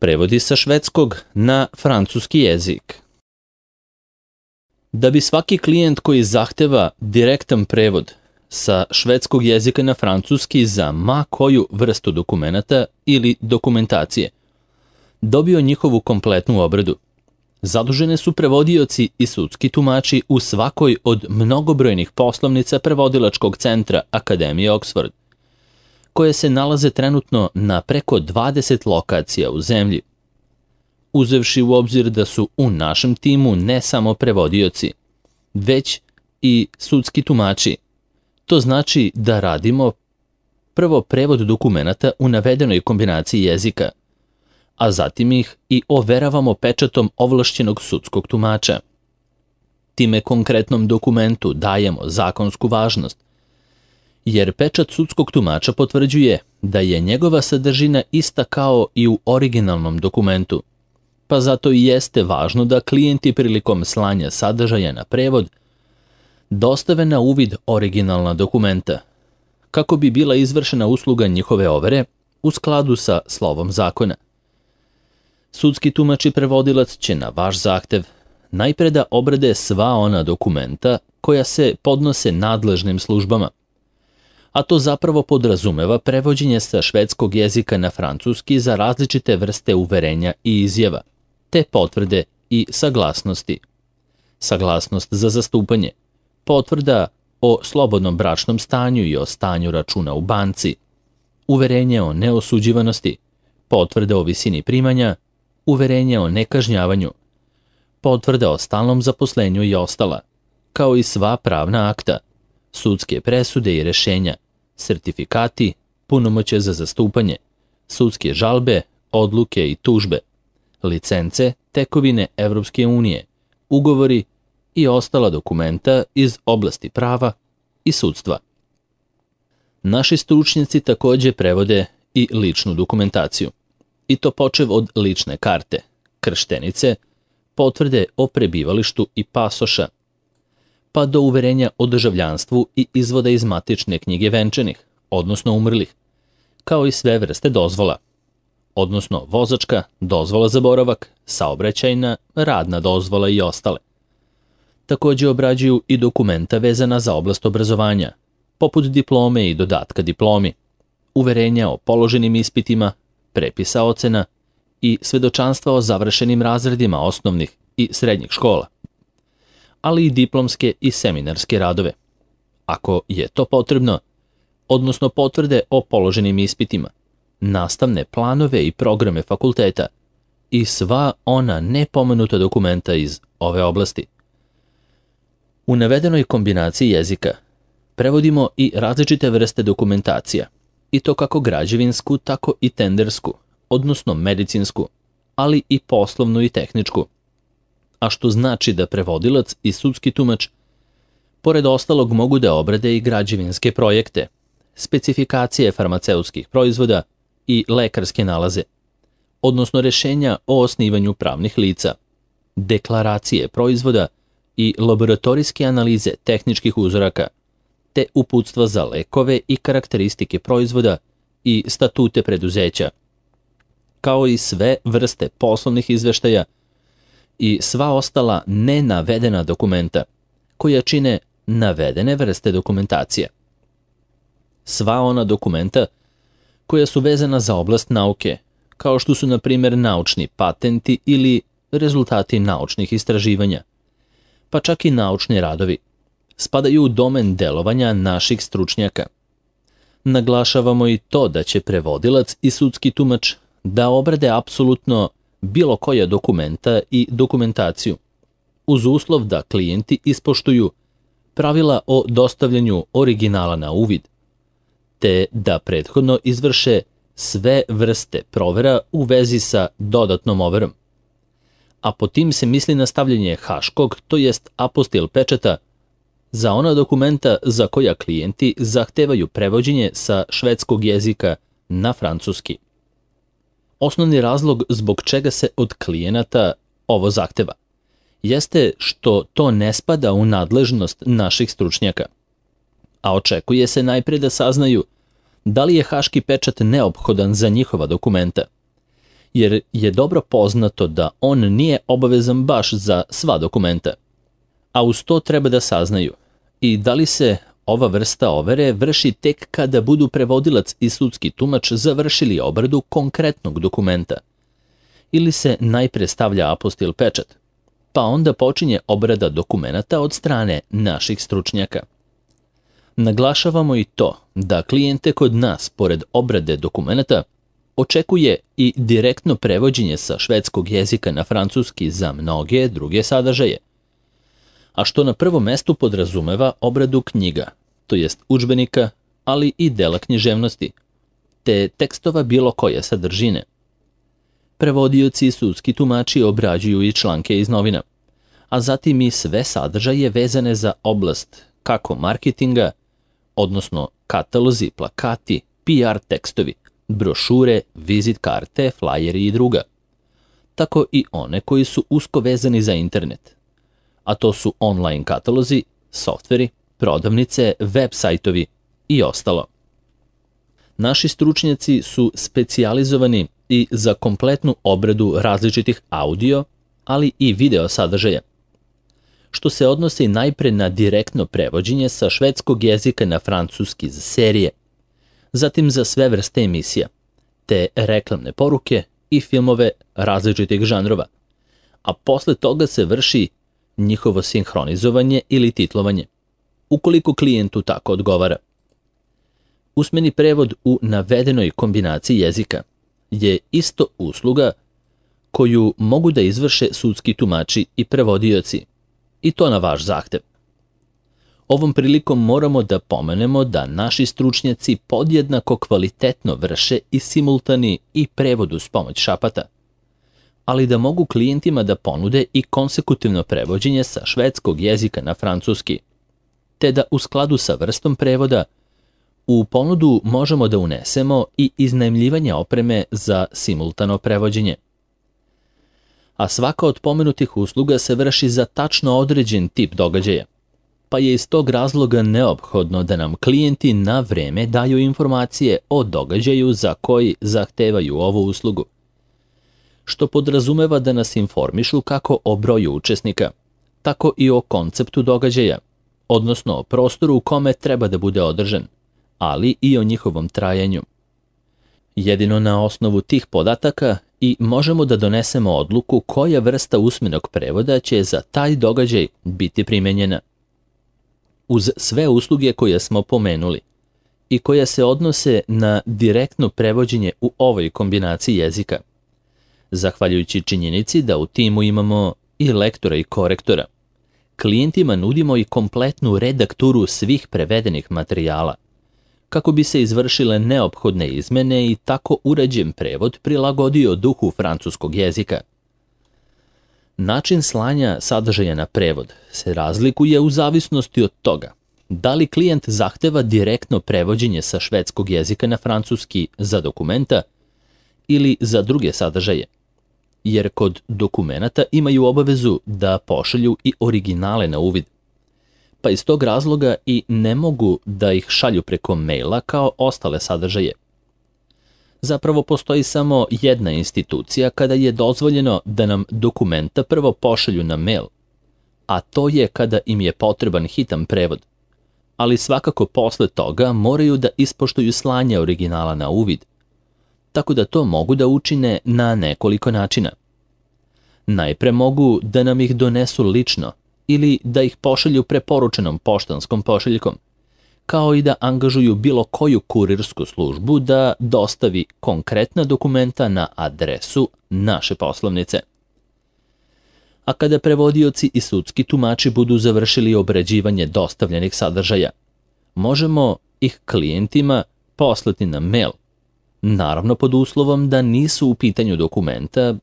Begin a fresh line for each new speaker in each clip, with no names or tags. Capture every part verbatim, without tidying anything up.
Prevodi sa švedskog na francuski jezik. Da bi svaki klijent koji zahteva direktan prevod sa švedskog jezika na francuski za ma koju vrstu dokumenata ili dokumentacije dobio njihovu kompletnu obradu, zadužene su prevodioci i sudski tumači u svakoj od mnogobrojnih poslovnica prevodilačkog centra Akademije Oxford, koje se nalaze trenutno na preko dvadeset lokacija u zemlji. Uzevši u obzir da su u našem timu ne samo prevodioci, već i sudski tumači, to znači da radimo prvo prevod dokumenata u navedenoj kombinaciji jezika, a zatim ih i overavamo pečatom ovlašćenog sudskog tumača. Time konkretnom dokumentu dajemo zakonsku važnost, jer pečat sudskog tumača potvrđuje da je njegova sadržina ista kao i u originalnom dokumentu, pa zato i jeste važno da klijenti prilikom slanja sadržaja na prevod dostave na uvid originalna dokumenta, kako bi bila izvršena usluga njihove overe u skladu sa slovom zakona. Sudski tumač i prevodilac će na vaš zahtev najpre da obrade sva ona dokumenta koja se podnose nadležnim službama, a to zapravo podrazumeva prevođenje sa švedskog jezika na francuski za različite vrste uverenja i izjava, te potvrde i saglasnosti. Saglasnost za zastupanje, potvrda o slobodnom bračnom stanju i o stanju računa u banci, uverenje o neosuđivanosti, potvrda o visini primanja, uverenje o nekažnjavanju, potvrda o stalnom zaposlenju i ostala, kao i sva pravna akta, sudske presude i rešenja, sertifikati, punomoćje za zastupanje, sudske žalbe, odluke i tužbe, licence, tekovine Evropske unije, ugovori i ostala dokumenta iz oblasti prava i sudstva. Naši stručnjaci takođe prevode i ličnu dokumentaciju, i to počev od lične karte, krštenice, potvrde o prebivalištu i pasoša, pa do uverenja o državljanstvu i izvoda iz matične knjige venčanih, odnosno umrlih, kao i sve vrste dozvola, odnosno vozačka, dozvola za boravak, saobraćajna, radna dozvola i ostale. Takođe obrađuju i dokumenta vezana za oblast obrazovanja, poput diplome i dodatka diplomi, uverenja o položenim ispitima, prepisa ocena i svedočanstva o završenim razredima osnovnih i srednjih škola, ali i diplomske i seminarske radove, ako je to potrebno, odnosno potvrde o položenim ispitima, nastavne planove i programe fakulteta i sva ona nepomenuta dokumenta iz ove oblasti. U navedenoj kombinaciji jezika prevodimo i različite vrste dokumentacija, i to kako građevinsku, tako i tendersku, odnosno medicinsku, ali i poslovnu i tehničku, a što znači da prevodilac i sudski tumač pored ostalog mogu da obrade i građevinske projekte, specifikacije farmaceutskih proizvoda i lekarske nalaze, odnosno rešenja o osnivanju pravnih lica, deklaracije proizvoda i laboratorijske analize tehničkih uzoraka, te uputstva za lekove i karakteristike proizvoda i statute preduzeća, kao i sve vrste poslovnih izveštaja i sva ostala nenavedena dokumenta koja čine navedene vrste dokumentacije. Sva ona dokumenta koja su vezana za oblast nauke, kao što su na primjer naučni patenti ili rezultati naučnih istraživanja, pa čak i naučni radovi, spadaju u domen delovanja naših stručnjaka. Naglašavamo i to da će prevodilac i sudski tumač da obrade apsolutno bilo koja dokumenta i dokumentaciju, uz uslov da klijenti ispoštuju pravila o dostavljanju originala na uvid, te da prethodno izvrše sve vrste provera u vezi sa dodatnom overom. A po tim se misli na stavljanje haškog, to jest apostil pečata, za ona dokumenta za koja klijenti zahtevaju prevođenje sa švedskog jezika na francuski. Osnovni razlog zbog čega se od klijenata ovo zahteva jeste što to ne spada u nadležnost naših stručnjaka, a očekuje se najpre da saznaju da li je haški pečat neophodan za njihova dokumenta, jer je dobro poznato da on nije obavezan baš za sva dokumenta. A uz to treba da saznaju i da li se ova vrsta overe vrši tek kada budu prevodilac i sudski tumač završili obradu konkretnog dokumenta, ili se najpre stavlja apostil pečat, pa onda počinje obrada dokumenata od strane naših stručnjaka. Naglašavamo i to da klijente kod nas, pored obrade dokumenata, očekuje i direktno prevođenje sa švedskog jezika na francuski za mnoge druge sadržaje, a što na prvom mestu podrazumeva obradu knjiga, to jest udžbenika, ali i dela književnosti, te tekstova bilo koje sadržine. Prevodioci i sudski tumači obrađuju i članke iz novina, a zatim i sve sadržaje vezane za oblast kako marketinga, odnosno katalozi, plakati, P R tekstovi, brošure, vizit karte, flajeri i druga, tako i one koji su usko vezani za internet, a to su online katalozi, softveri, prodavnice, web sajtovi i ostalo. Naši stručnjaci su specijalizovani i za kompletnu obradu različitih audio, ali i video sadržaja, što se odnosi najpre na direktno prevođenje sa švedskog jezika na francuski za serije, zatim za sve vrste emisija, te reklamne poruke i filmove različitih žanrova, a posle toga se vrši njihovo sinhronizovanje ili titlovanje, ukoliko klijentu tako odgovara. Usmeni prevod u navedenoj kombinaciji jezika je isto usluga koju mogu da izvrše sudski tumači i prevodioci, i to na vaš zahtev. Ovom prilikom moramo da pomenemo da naši stručnjaci podjednako kvalitetno vrše i simultani i prevod uz pomoć šapata, ali da mogu klijentima da ponude i konsekutivno prevođenje sa švedskog jezika na francuski, te da u skladu sa vrstom prevoda u ponudu možemo da unesemo i iznajmljivanje opreme za simultano prevođenje. A svaka od pomenutih usluga se vrši za tačno određen tip događaja, pa je iz tog razloga neophodno da nam klijenti na vreme daju informacije o događaju za koji zahtevaju ovu uslugu, što podrazumeva da nas informišu kako o broju učesnika, tako i o konceptu događaja, odnosno o prostoru u kome treba da bude održan, ali i o njihovom trajanju. Jedino na osnovu tih podataka i možemo da donesemo odluku koja vrsta usmenog prevoda će za taj događaj biti primenjena. Uz sve usluge koje smo pomenuli i koje se odnose na direktno prevođenje u ovoj kombinaciji jezika, zahvaljujući činjenici da u timu imamo i lektora i korektora, klijentima nudimo i kompletnu redakturu svih prevedenih materijala, kako bi se izvršile neophodne izmene i tako urađen prevod prilagodio duhu francuskog jezika. Način slanja sadržaja na prevod se razlikuje u zavisnosti od toga da li klijent zahteva direktno prevođenje sa švedskog jezika na francuski za dokumenta ili za druge sadržaje, jer kod dokumenata imaju obavezu da pošalju i originale na uvid, pa iz tog razloga i ne mogu da ih šalju preko maila kao ostale sadržaje. Zapravo postoji samo jedna institucija kada je dozvoljeno da nam dokumenta prvo pošalju na mail, a to je kada im je potreban hitan prevod, ali svakako posle toga moraju da ispoštuju slanje originala na uvid, tako da to mogu da učine na nekoliko načina. Najpre mogu da nam ih donesu lično ili da ih pošalju preporučenom poštanskom pošiljkom, kao i da angažuju bilo koju kurirsku službu da dostavi konkretna dokumenta na adresu naše poslovnice. A kada prevodioci i sudski tumači budu završili obrađivanje dostavljenih sadržaja, možemo ih klijentima poslati na mail, naravno pod uslovom da nisu u pitanju dokumenta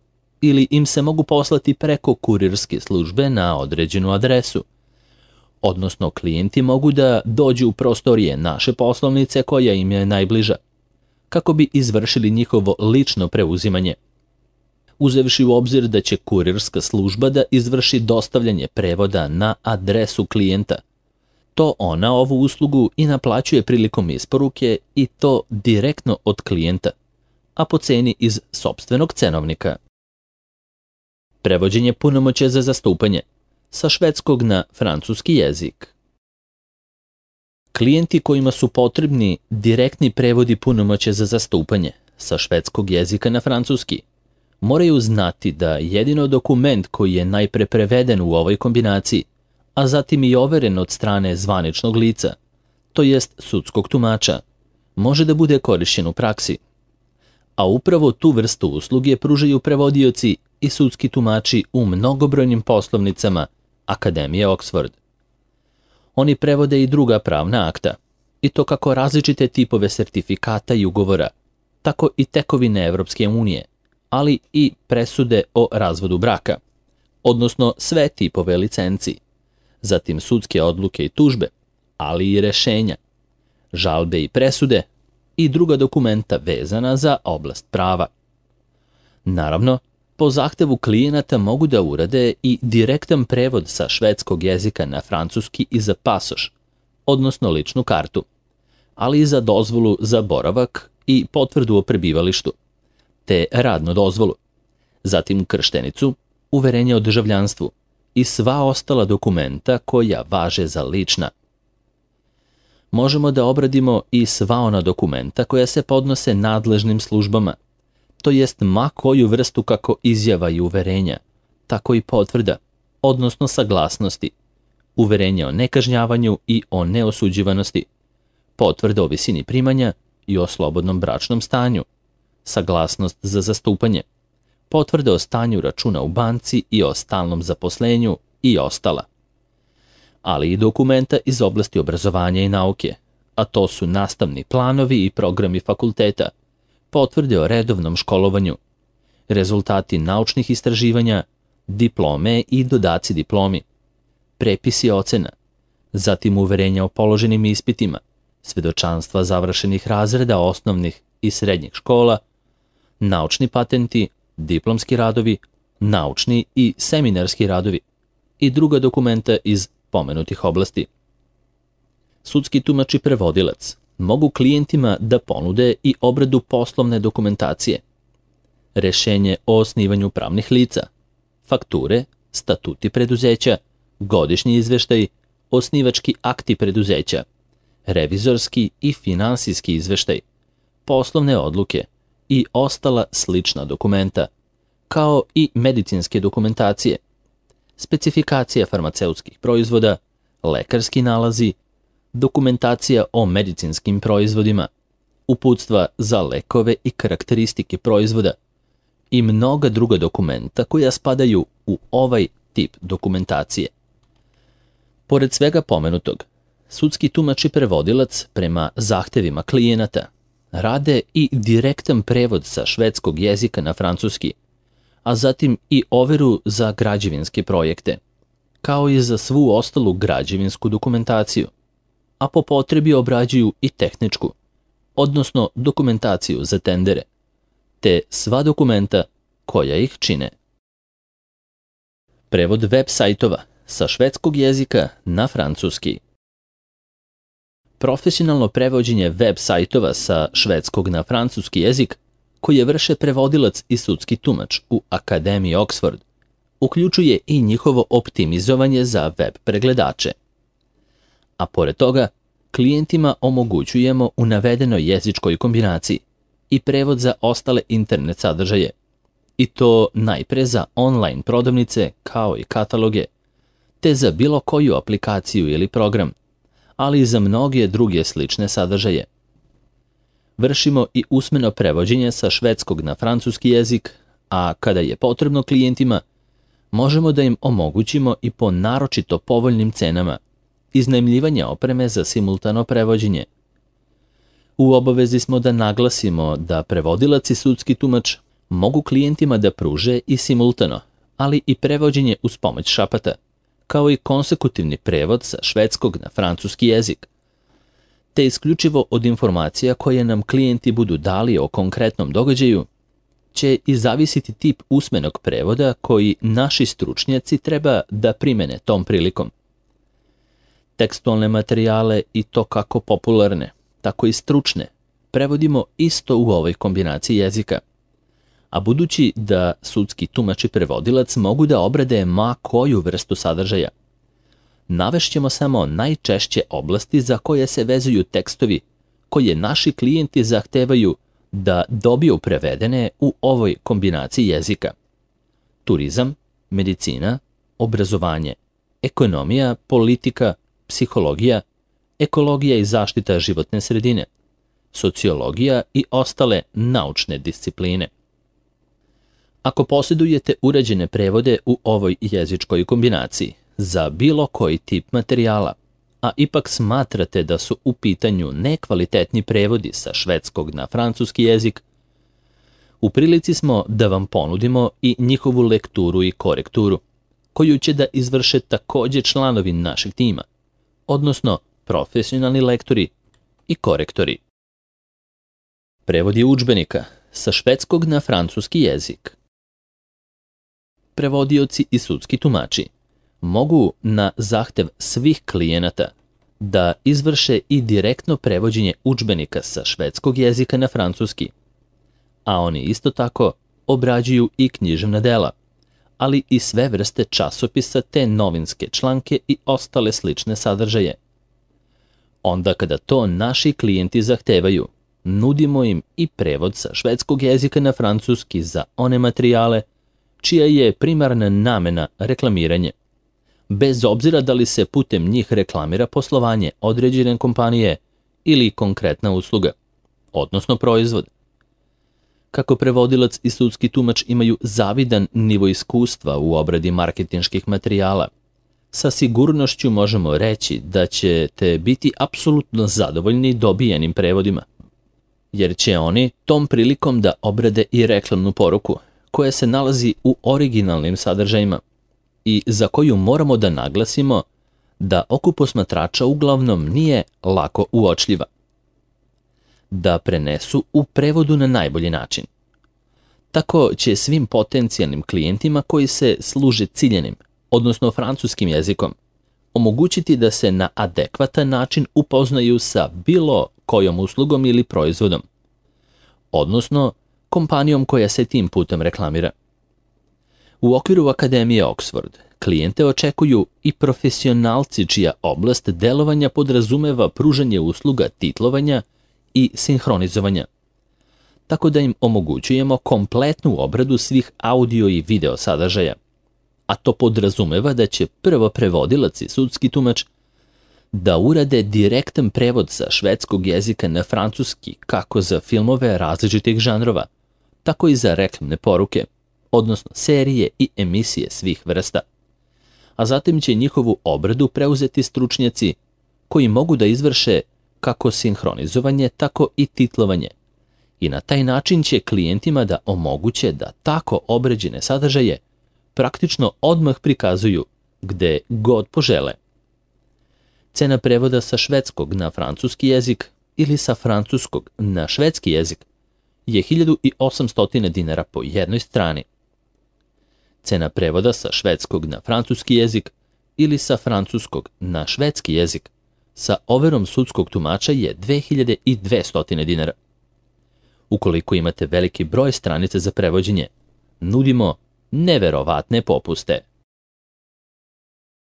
ili im se mogu poslati preko kurirske službe na određenu adresu, odnosno klijenti mogu da dođu u prostorije naše poslovnice koja im je najbliža, kako bi izvršili njihovo lično preuzimanje. Uzevši u obzir da će kurirska služba da izvrši dostavljanje prevoda na adresu klijenta, to ona ovu uslugu i naplaćuje prilikom isporuke i to direktno od klijenta, a po ceni iz sopstvenog cenovnika. Prevođenje punomoćja za zastupanje sa švedskog na francuski jezik. Klijenti kojima su potrebni direktni prevodi punomoćja za zastupanje sa švedskog jezika na francuski moraju znati da jedino dokument koji je najpre preveden u ovoj kombinaciji, a zatim i overen od strane zvaničnog lica, to jest sudskog tumača, može da bude korišćen u praksi. A upravo tu vrstu usluge pružaju prevodioci i sudski tumači u mnogobrojnim poslovnicama Akademije Oxford. Oni prevode i druga pravna akta, i to kako različite tipove sertifikata i ugovora, tako i tekovine Evropske unije, ali i presude o razvodu braka, odnosno sve tipove licenci, zatim sudske odluke i tužbe, ali i rešenja, žalbe i presude i druga dokumenta vezana za oblast prava. Naravno, po zahtevu klijenata mogu da urade i direktan prevod sa švedskog jezika na francuski i za pasoš, odnosno ličnu kartu, ali i za dozvolu za boravak i potvrdu o prebivalištu, te radnu dozvolu, zatim krštenicu, uverenje o državljanstvu i sva ostala dokumenta koja važe za lična. Možemo da obradimo i sva ona dokumenta koja se podnose nadležnim službama, to jest ma koju vrstu kako izjava i uverenja, tako i potvrda, odnosno saglasnosti, uverenja o nekažnjavanju i o neosuđivanosti, potvrda o visini primanja i o slobodnom bračnom stanju, saglasnost za zastupanje, potvrda o stanju računa u banci i o stalnom zaposlenju i ostala. Ali i dokumenta iz oblasti obrazovanja i nauke, a to su nastavni planovi i programi fakulteta, potvrde o redovnom školovanju, rezultati naučnih istraživanja, diplome i dodaci diplomi, prepisi ocena, zatim uverenja o položenim ispitima, svedočanstva završenih razreda osnovnih i srednjih škola, naučni patenti, diplomski radovi, naučni i seminarski radovi i druga dokumenta iz pomenutih oblasti. Sudski tumač i prevodilac mogu klijentima da ponude i obradu poslovne dokumentacije, rešenje o osnivanju pravnih lica, fakture, statuti preduzeća, godišnji izveštaj, osnivački akti preduzeća, revizorski i finansijski izveštaj, poslovne odluke i ostala slična dokumenta, kao i medicinske dokumentacije, specifikacija farmaceutskih proizvoda, lekarski nalazi, dokumentacija o medicinskim proizvodima, uputstva za lekove i karakteristike proizvoda i mnoga druga dokumenta koja spadaju u ovaj tip dokumentacije. Pored svega pomenutog, sudski tumač i prevodilac prema zahtevima klijenata rade i direktan prevod sa švedskog jezika na francuski, a zatim i overu za građevinske projekte, kao i za svu ostalu građevinsku dokumentaciju, a po potrebi obrađuju i tehničku, odnosno dokumentaciju za tendere, te sva dokumenta koja ih čine. Prevod web sajtova sa švedskog jezika na francuski. Profesionalno prevođenje web sajtova sa švedskog na francuski jezik, koje vrše prevodilac i sudski tumač u Akademiji Oxford, uključuje i njihovo optimizovanje za web pregledače. A pored toga, klijentima omogućujemo u navedenoj jezičkoj kombinaciji i prevod za ostale internet sadržaje, i to najpre za online prodavnice kao i kataloge, te za bilo koju aplikaciju ili program, ali i za mnoge druge slične sadržaje. Vršimo i usmeno prevođenje sa švedskog na francuski jezik, a kada je potrebno klijentima, možemo da im omogućimo i po naročito povoljnim cenama iznajmljivanje opreme za simultano prevođenje. U obavezi smo da naglasimo da prevodilac i sudski tumač mogu klijentima da pruže i simultano, ali i prevođenje uz pomoć šapata, kao i konsekutivni prevod sa švedskog na francuski jezik, te isključivo od informacija koje nam klijenti budu dali o konkretnom događaju, će i zavisiti tip usmenog prevoda koji naši stručnjaci treba da primene tom prilikom. Tekstualne materijale, i to kako popularne, tako i stručne, prevodimo isto u ovoj kombinaciji jezika. A budući da sudski tumač i prevodilac mogu da obrade ma koju vrstu sadržaja, navešćemo samo najčešće oblasti za koje se vezuju tekstovi koje naši klijenti zahtevaju da dobiju prevedene u ovoj kombinaciji jezika. Turizam, medicina, obrazovanje, ekonomija, politika, psihologija, ekologija i zaštita životne sredine, sociologija i ostale naučne discipline. Ako posjedujete uređene prevode u ovoj jezičkoj kombinaciji za bilo koji tip materijala, a ipak smatrate da su u pitanju nekvalitetni prevodi sa švedskog na francuski jezik, u prilici smo da vam ponudimo i njihovu lekturu i korekturu, koju će da izvrše također članovi našeg tima, odnosno profesionalni lektori i korektori. Prevodi udžbenika sa švedskog na francuski jezik. Prevodioci i sudski tumači mogu na zahtev svih klijenata da izvrše i direktno prevođenje udžbenika sa švedskog jezika na francuski, a oni isto tako obrađuju i književna dela, ali i sve vrste časopisa te novinske članke i ostale slične sadržaje. Onda kada to naši klijenti zahtevaju, nudimo im i prevod sa švedskog jezika na francuski za one materijale čija je primarna namena reklamiranje, bez obzira da li se putem njih reklamira poslovanje određene kompanije ili konkretna usluga, odnosno proizvod. Kako prevodilac i sudski tumač imaju zavidan nivo iskustva u obradi marketinških materijala, sa sigurnošću možemo reći da ćete biti apsolutno zadovoljni dobijenim prevodima, jer će oni tom prilikom da obrade i reklamnu poruku koja se nalazi u originalnim sadržajima i za koju moramo da naglasimo da oku posmatrača uglavnom nije lako uočljiva. Da prenesu u prevodu na najbolji način. Tako će svim potencijalnim klijentima koji se služe ciljenim, odnosno francuskim jezikom, omogućiti da se na adekvatan način upoznaju sa bilo kojom uslugom ili proizvodom, odnosno kompanijom koja se tim putem reklamira. U okviru Akademije Oxford klijente očekuju i profesionalci čija oblast delovanja podrazumeva pružanje usluga titlovanja i sinhronizovanja, tako da im omogućujemo kompletnu obradu svih audio i video sadržaja, a to podrazumeva da će prvo prevodilac i sudski tumač da urade direktan prevod sa švedskog jezika na francuski kako za filmove različitih žanrova, tako i za reklamne poruke, odnosno serije i emisije svih vrsta. A zatim će njihovu obradu preuzeti stručnjaci koji mogu da izvrše kako sinhronizovanje, tako i titlovanje. I na taj način će klijentima da omoguće da tako obrađene sadržaje praktično odmah prikazuju gde god požele. Cena prevoda sa švedskog na francuski jezik ili sa francuskog na švedski jezik je hiljadu osamsto dinara po jednoj strani. Cena prevoda sa švedskog na francuski jezik ili sa francuskog na švedski jezik sa overom sudskog tumača je dve hiljade dvesta dinara. Ukoliko imate veliki broj stranica za prevođenje, nudimo neverovatne popuste.